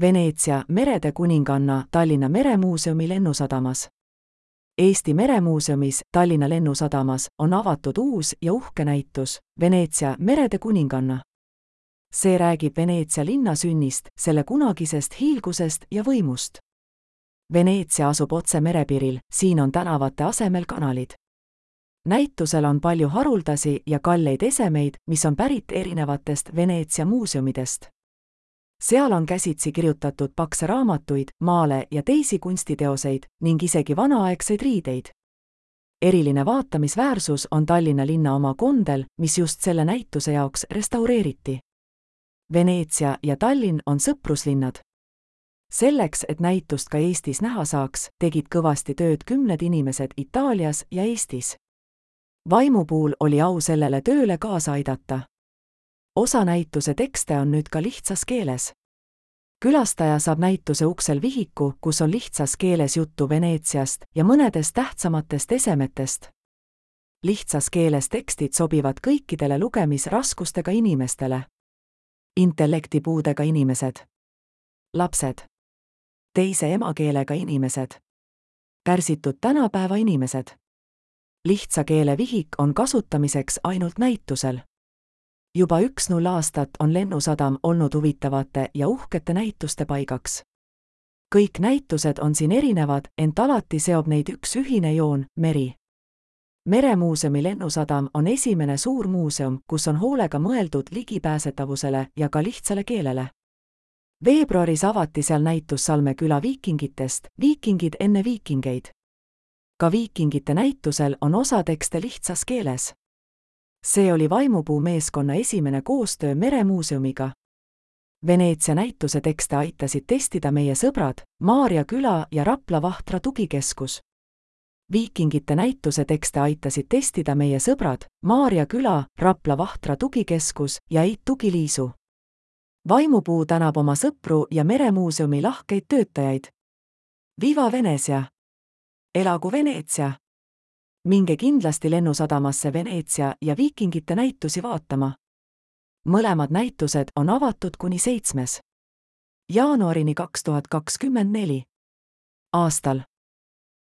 Veneetsia merede kuninganna Tallinna Meremuuseumi lennusadamas. Eesti Meremuuseumis Tallinna lennusadamas on avatud uus ja uhke näitus Veneetsia merede kuninganna. See räägib Veneetsia linna sünnist, selle kunagisest hiilgusest ja võimust. Veneetsia asub otse merepiiril, siin on tänavate asemel kanalid. Näitusel on palju haruldasi ja kalleid esemeid, mis on pärit erinevatest Veneetsia muuseumidest. Seal on käsitsi kirjutatud pakse raamatuid, maale ja teisi kunstiteoseid ning isegi vanaaegseid riideid. Eriline vaatamisväärsus on Tallinna linna oma kondel, mis just selle näituse jaoks restaureeriti. Veneetsia ja Tallinn on sõpruslinnad. Selleks, et näitust ka Eestis näha saaks, tegid kõvasti tööd kümned inimesed Itaalias ja Eestis. Vaimupuul oli au sellele tööle kaasa aidata. Osa näituse tekste on nüüd ka lihtsas keeles. Külastaja saab näituse uksel vihiku, kus on lihtsas keeles juttu Veneetsiast ja mõnedest tähtsamatest esemetest. Lihtsas keeles tekstid sobivad kõikidele lugemisraskustega inimestele. Intellektipuudega inimesed. Lapsed. Teise emakeelega inimesed. Pärsitud tänapäeva inimesed. Lihtsa keele vihik on kasutamiseks ainult näitusel. Juba 10 aastat on lennusadam olnud huvitavate ja uhkete näituste paigaks. Kõik näitused on siin erinevad, ent alati seob neid üks ühine joon, meri. Meremuuseumi lennusadam on esimene suur muuseum, kus on hoolega mõeldud ligipääsetavusele ja ka lihtsale keelele. Veebruaris avati seal näitus Salme küla viikingitest, viikingid enne viikingeid. Ka viikingite näitusel on osa tekste lihtsas keeles. See oli Vaimupuu meeskonna esimene koostöö Meremuuseumiga. Veneetsia näituse tekste aitasid testida meie sõbrad, Maarja küla ja Rapla Vahtra tugikeskus. Viikingite näituse tekste aitasid testida meie sõbrad, Maarja küla, Rapla Vahtra tugikeskus ja Eit Tugiliisu. Vaimupuu tänab oma sõpru ja Meremuuseumi lahkeid töötajaid. Viva Veneetsia! Elagu Veneetsia! Minge kindlasti lennusadamasse Veneetsia ja viikingite näitusi vaatama. Mõlemad näitused on avatud kuni 7. jaanuarini 2024. aastal.